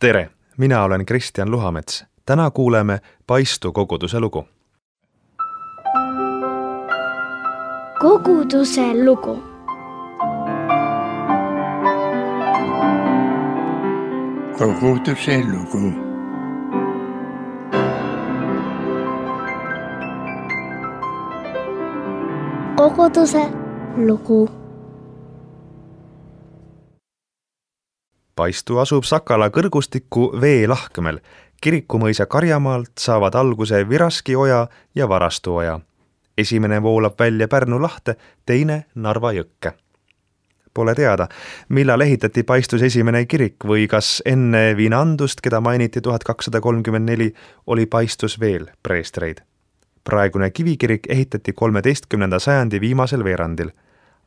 Tere! Mina olen Kristjan Luhamets. Täna kuuleme Paistu koguduse lugu. Koguduse lugu. Koguduse lugu. Koguduse lugu. Paistu asub Sakala kõrgustiku veelahkmel. Kirikumõisa Karjamaalt saavad alguse Viraski oja ja Varastu oja. Esimene voolab välja Pärnu lahte, teine Narva jõkke. Pole teada, millal ehitati Paistus esimene kirik või kas enne Viinandust, keda mainiti 1234, oli Paistus veel preestreid. Praegune kivikirik ehitati 13. sajandi viimasel veerandil.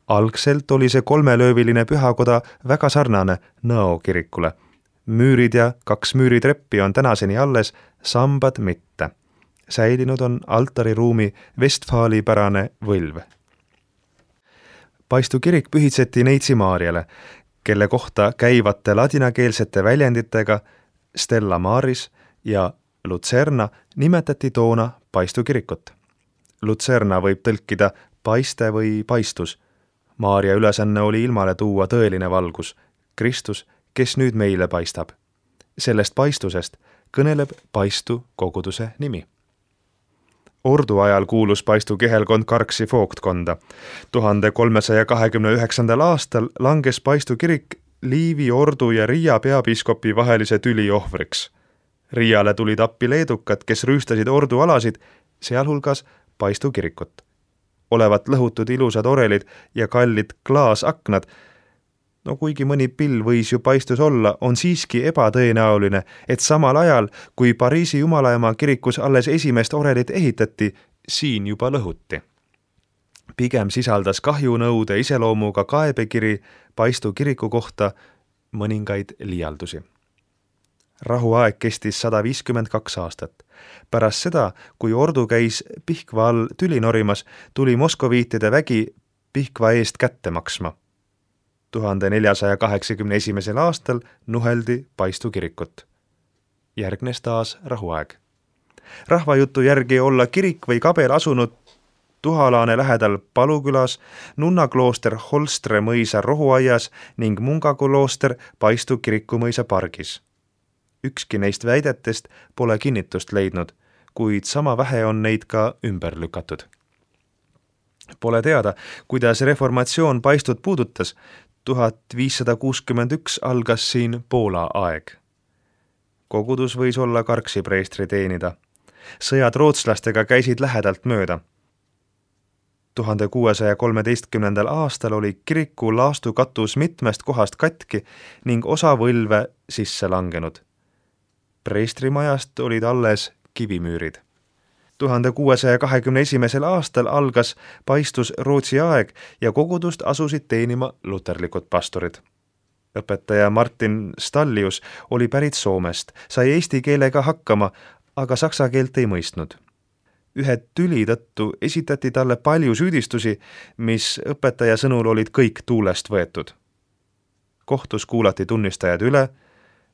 Algselt oli see kolmelööviline pühakoda väga sarnane Nõo kirikule. Müürid ja 2 müüritreppi on tänaseni alles, sambad mitte. Säilinud on altariruumi Vestfaali-pärane võlv. Paistu kirik pühitseti Neitsi Maarjale, kelle kohta käivate ladinakeelsete väljenditega Stella Maris ja Lucerna nimetati toona Paistu kirikut. Lucerna võib tõlkida paiste või paistus. Maarja ülesanne oli ilmale tuua tõeline valgus, Kristus, kes nüüd meile paistab. Sellest paistusest kõneleb Paistu koguduse nimi. Ordu ajal kuulus Paistu kihelkond Karksi vooktkonda. 1329. aastal langes Paistu kirik Liivi, Ordu ja Riia peapiiskopi vahelise tüli ohvriks. Riiale tulid appi leedukad, kes rüüstasid Ordu alasid, sealhulgas Paistu kirikut. Olevat lõhutud ilusad orelid ja kallid klaasaknad. No kuigi mõni pill võis ju Paistus olla, on siiski ebatõenäoline, et samal ajal, kui Pariisi Jumalaema kirikus alles esimest orelit ehitati, siin juba lõhuti. Pigem sisaldas kahjunõude iseloomuga kaebekiri Paistu kiriku kohta mõningaid liialdusi. Rahuaeg kestis 152 aastat. Pärast seda, kui Ordu käis Pihkva all tüli norimas, tuli moskoviitide vägi Pihkva eest kätte maksma. 1481. aastal nuheldi Paistu kirikut. Järgnes taas rahuaeg. Rahvajutu järgi olla kirik või kabel asunud Tuhalaane lähedal Palukülas, nunnaklooster Holstre mõisa rohuaias ning mungaklooster Paistu kirikumõisa pargis. Ükski neist väidetest pole kinnitust leidnud, kuid sama vähe on neid ka ümber lükatud. Pole teada, kuidas reformatsioon Paistut puudutas. 1561 algas siin Poola aeg. Kogudus võis olla Karksi preestri teenida. Sõjad rootslastega käisid lähedalt mööda. 1613. aastal oli kiriku laastukatus mitmest kohast katki ning osa võlve sisse langenud. Preestrimajast olid alles kivimüürid. 1621. aastal algas Paistus Rootsi aeg ja kogudust asusid teenima luterlikud pastorid. Õpetaja Martin Stallius oli pärit Soomest, sai eesti keelega hakkama, aga saksa keelt ei mõistnud. Ühe tüli tõttu esitati talle palju süüdistusi, mis õpetaja sõnul olid kõik tuulest võetud. Kohtus kuulati tunnistajad üle,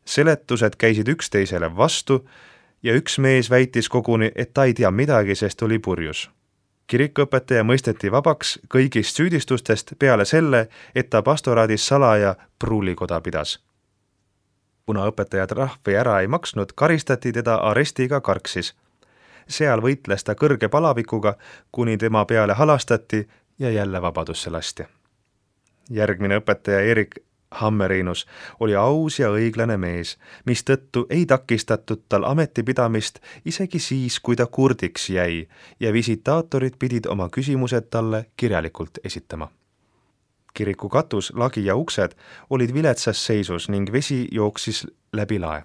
seletused käisid üksteisele vastu ja üks mees väitis koguni, et ta ei tea midagi, sest oli purjus. Kirikuõpetaja mõisteti vabaks kõigist süüdistustest peale selle, et ta pastoraadis salaja pruulikoda pidas. Kuna õpetajad rahvi ära ei maksnud, karistati teda arestiga Karksis. Seal võitles ta kõrge palavikuga, kuni tema peale halastati ja jälle vabadusse lasti. Järgmine õpetaja Erik Hammerinus oli aus ja õiglane mees, mis tõttu ei takistatud tal ametipidamist isegi siis, kui ta kurdiks jäi ja visitaatorid pidid oma küsimused talle kirjalikult esitama. Kiriku katus, lagi ja uksed olid viletsas seisus ning vesi jooksis läbi lae.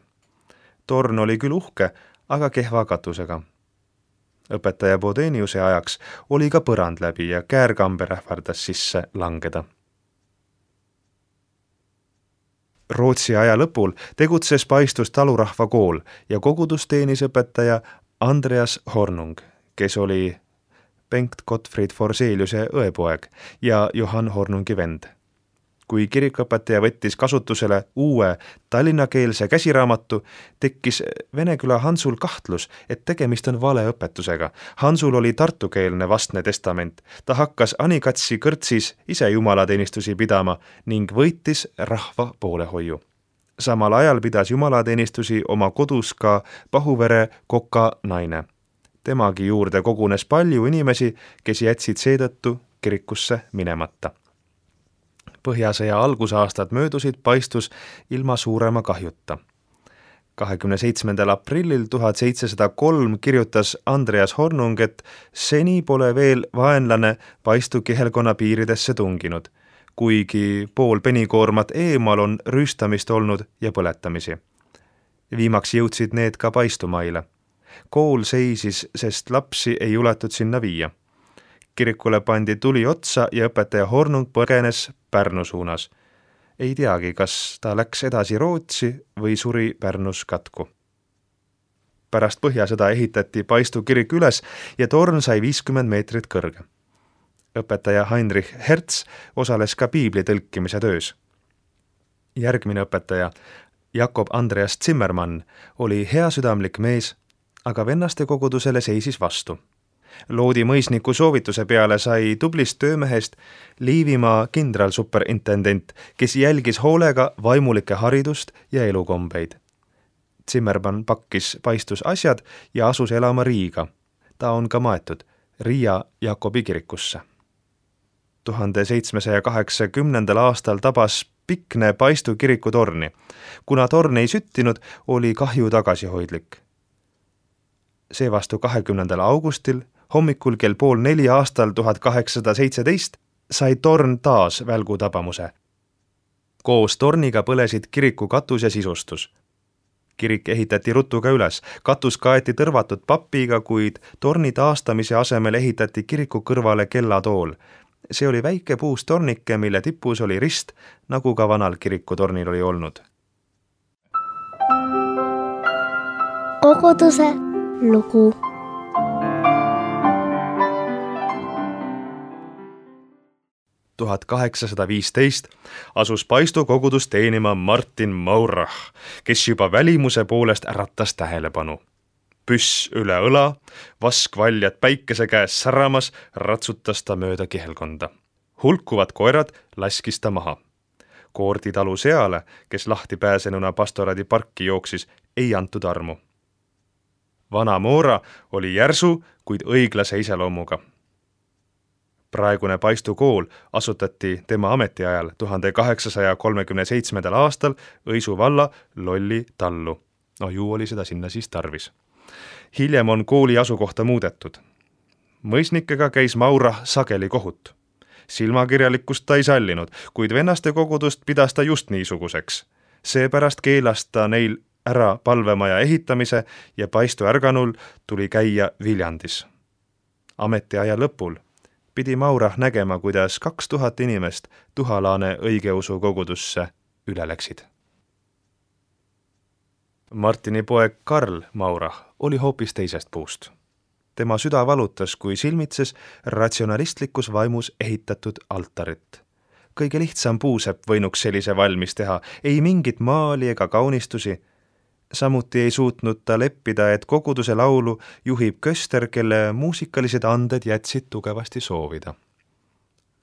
Torn oli küll uhke, aga kehva katusega. Õpetaja Bodeniuse ajaks oli ka põrand läbi ja käärkamber ähvardas sisse langeda. Rootsi aja lõpul tegutses Paistus talurahva kool ja kogudus teenis õpetaja Andreas Hornung, kes oli Bengt Gottfried Forseliuse õepoeg ja Johann Hornungi vend. Kui kirikuõpetaja võttis kasutusele uue tallinnakeelse käsiraamatu, tekkis Veneküla Hansul kahtlus, et tegemist on valeõpetusega. Hansul oli tartukeelne vastne testament. Ta hakkas Anikatsi kõrtsis ise jumalateenistusi pidama ning võitis rahva poolehoiu. Samal ajal pidas jumalateenistusi oma kodus ka Pahuvere Koka naine. Temagi juurde kogunes palju inimesi, kes jätsid seetõttu kirikusse minemata. Põhjasõja algusaastad möödusid paistus ilma suurema kahjuta. 27. aprillil 1703 kirjutas Andreas Hornung, et seni pole veel vaenlane paistu kihelkonna piiridesse tunginud, kuigi pool penikoormat eemal on rüüstamist olnud ja põletamisi. Viimaks jõudsid need ka paistumaile. Kool seisis, sest lapsi ei juletud sinna viia. Kirikule pandi tuli otsa ja õpetaja Hornung põgenes Pärnu suunas. Ei teagi, kas ta läks edasi Rootsi või suri Pärnus katku. Pärast Põhjasõda ehitati paistu kirik üles ja torn sai 50 meetrit kõrge. Õpetaja Heinrich Hertz osales ka piibli tõlkimise töös. Järgmine õpetaja, Jakob Andreas Zimmermann, oli heasüdamlik mees, aga vennaste kogudusele seisis vastu. Loodi mõisniku soovituse peale sai tublist töömehest Liivimaa kindralsuperintendent, kes jälgis hoolega vaimulike haridust ja elukombeid. Zimmermann pakkis paistus asjad ja asus elama Riiga. Ta on ka maetud Riia Jakobi kirikusse. 1780. aastal tabas pikne paistu kiriku torni. Kuna torn ei süttinud, oli kahju tagasihoidlik. Seevastu 20. augustil hommikul kell 3:30 aastal 1817 sai torn taas välgu tabamuse. Koos torniga põlesid kiriku katus ja sisustus. Kirik ehitati rutuga üles, katus kaeti tõrvatud papiga, kuid torni taastamise asemel ehitati kiriku kõrvale kellatool. See oli väike puust tornike, mille tipus oli rist, nagu ka vanal kirikutornil oli olnud. Koguduse lugu. Tuhat 1815 asus paistu kogudust teenima Martin Maurach, kes juba välimuse poolest äratas tähelepanu. Püss üle õla, vaskvaljad päikese käes säramas, ratsutas ta mööda kihelkonda. Hulkuvad koerad laskis ta maha. Koordi talu seale, kes lahti pääsenuna pastoraadi parki jooksis, ei antud armu. Vana Moora oli järsu, kuid õiglase iseloomuga. Praegune paistu kool asutati tema ametiajal 1837. aastal Õisu valla Lolli tallu. Ju oli seda sinna siis tarvis. Hiljem on kooli asukohta muudetud. Mõisnikega käis Maurach sageli kohut. Silmakirjalikkust ta ei sallinud, kuid vennaste kogudust pidas ta just niisuguseks. Seepärast keelas ta neil ära palvemaja ehitamise ja paistu ärganul tuli käia Viljandis. Ametiaja lõpul pidi Maurach nägema, kuidas 2000 inimest Tuhalaane õigeusu kogudusse üle läksid. Martini poeg Karl Maurach oli hoopis teisest puust. Tema süda valutas, kui silmitses ratsionalistlikus vaimus ehitatud altarit. Kõige lihtsam puusepp võinuks sellise valmis teha, ei mingit maali ega kaunistusi. Samuti ei suutnud ta leppida, et koguduse laulu juhib köster, kelle muusikalised anded jätsid tugevasti soovida.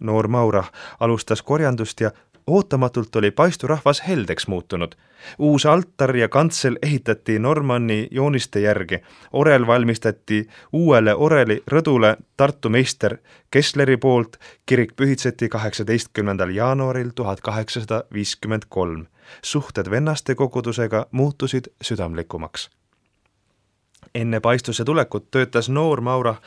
Noor Maurach alustas korjandust ja ootamatult oli paisturahvas heldeks muutunud. Uus altar ja kantsel ehitati Normanni jooniste järgi. Orel valmistati uuele oreli rõdule Tartu meister Kessleri poolt. Kirik pühitseti 18. jaanuaril 1853. Suhted vennaste kogudusega muutusid südamlikumaks. Enne paistuse tulekut töötas noor Maurach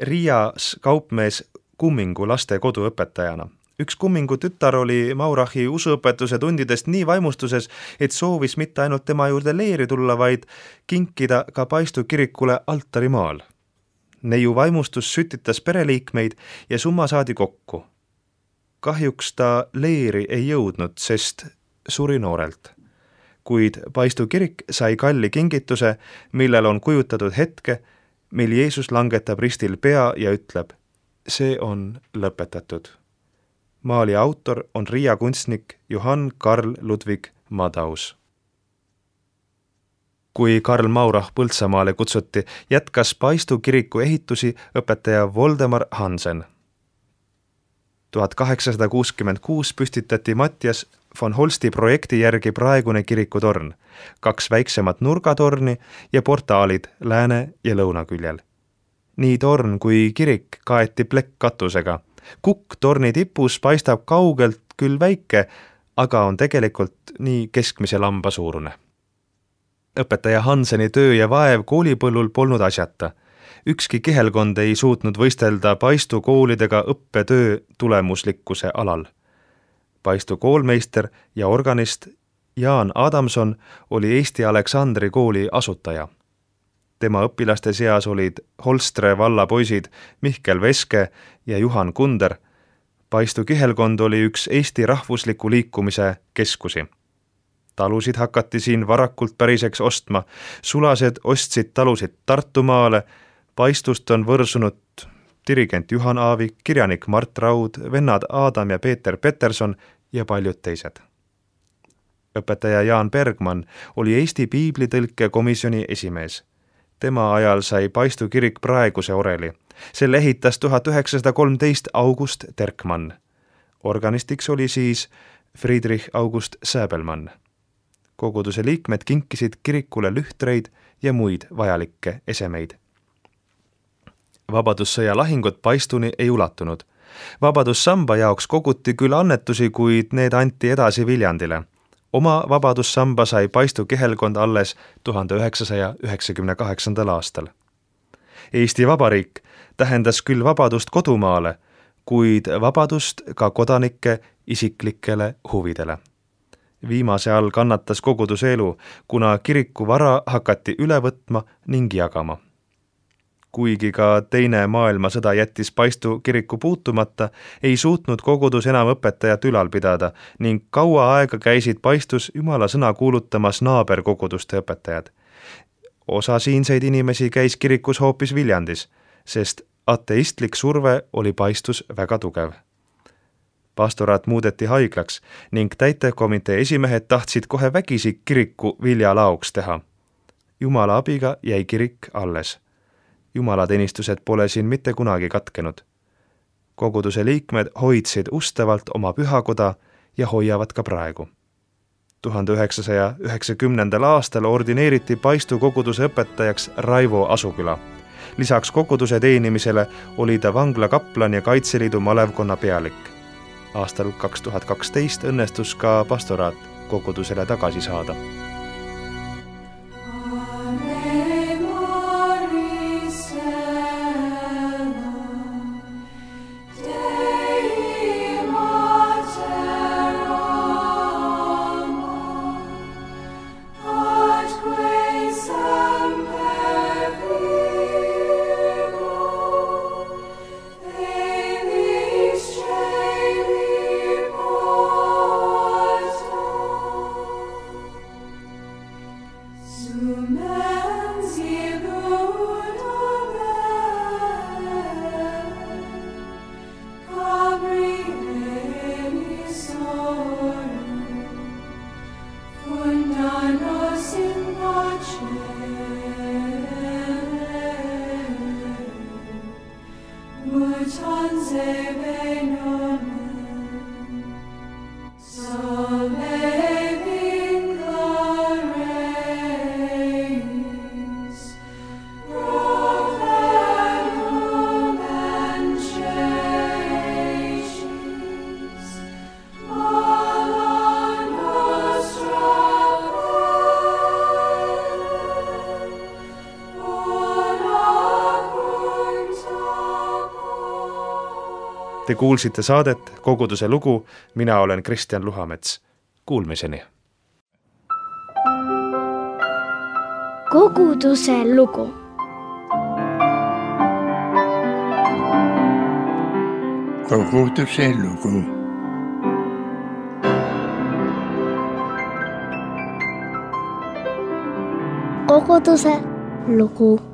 Riias kaupmees Kummingu lastekodu õpetajana. Üks Kummingu tütar oli Maurachi usuõpetuse tundidest nii vaimustuses, et soovis mitte ainult tema juurde leeri tulla, vaid kinkida ka paistu kirikule altarimaal. Neiu vaimustus sütitas pereliikmeid ja summa saadi kokku. Kahjuks ta leeri ei jõudnud, sest suri noorelt. Kuid paistu kirik sai kalli kingituse, millel on kujutatud hetke, mil Jeesus langetab ristil pea ja ütleb, see on lõpetatud. Maali autor on Riia kunstnik Johann Karl Ludwig Madaus. Kui Karl Maurah Põltsamaale kutsuti, jätkas Paistu kiriku ehitusi õpetaja Voldemar Hansen. 1866 püstitati Mattias von Holsti projekti järgi praegune kirikutorn, 2 väiksemat nurgatorni ja portaalid lääne ja lõunaküljel. Nii torn kui kirik kaeti plekkkatusega. Kukk torni tipus paistab kaugelt küll väike, aga on tegelikult nii keskmise lamba suurune. Õpetaja Hanseni töö ja vaev koolipõllul polnud asjata. Ükski kihelkond ei suutnud võistelda Paistu koolidega õppetöö tulemuslikkuse alal. Paistu koolmeister ja organist Jaan Adamson oli Eesti Aleksandri kooli asutaja. Tema õpilaste seas olid Holstre valla poisid Mihkel Veske ja Juhan Kunder. Paistu kihelkond oli üks Eesti rahvusliku liikumise keskusi. Talusid hakati siin varakult päriseks ostma, sulased ostsid talusid Tartumaale, Paistust on võrsunud dirigent Juhan Aavik, kirjanik Mart Raud, vennad Adam ja Peeter Peterson ja paljud teised. Õpetaja Jaan Bergmann oli Eesti piiblitõlke komisjoni esimees. Tema ajal sai Paistu kirik praeguse oreli. Selle ehitas 1913 August Terkmann. Organistiks oli siis Friedrich August Säbelmann. Koguduse liikmed kinkisid kirikule lühtreid ja muid vajalikke esemeid. Vabadussõja lahingud Paistuni ei ulatunud. Vabadussamba jaoks koguti küll annetusi, kuid need anti edasi Viljandile. Oma vabadussamba sai Paistu kihelkond alles 1998. aastal. Eesti Vabariik tähendas küll vabadust kodumaale, kuid vabadust ka kodanike isiklikele huvidele. Viimase all kannatas koguduse elu, kuna kiriku vara hakati üle võtma ning jagama. Kuigi ka teine maailmasõda jättis Paistu kiriku puutumata, ei suutnud kogudus enam õpetajat ülal pidada ning kaua aega käisid Paistus Jumala sõna kuulutamas naaberkoguduste õpetajad. Osa siinseid inimesi käis kirikus hoopis Viljandis, sest ateistlik surve oli Paistus väga tugev. Pastoraat muudeti haiglaks ning täitevkomitee esimehed tahtsid kohe vägisi kiriku viljalaoks teha. Jumala abiga jäi kirik alles. Jumalateenistused pole siin mitte kunagi katkenud. Koguduse liikmed hoidsid ustavalt oma pühakoda ja hoiavad ka praegu. 1990. aastal ordineeriti Paistu koguduse õpetajaks Raivo Asuküla. Lisaks koguduse teenimisele oli ta vangla kaplan ja Kaitseliidu malevkonna pealik. Aastal 2012 õnnestus ka pastoraat kogudusele tagasi saada. Te kuulsite saadet Koguduse lugu, mina olen Kristjan Luhamets. Kuulmiseni! Koguduse lugu. Koguduse lugu. Koguduse lugu.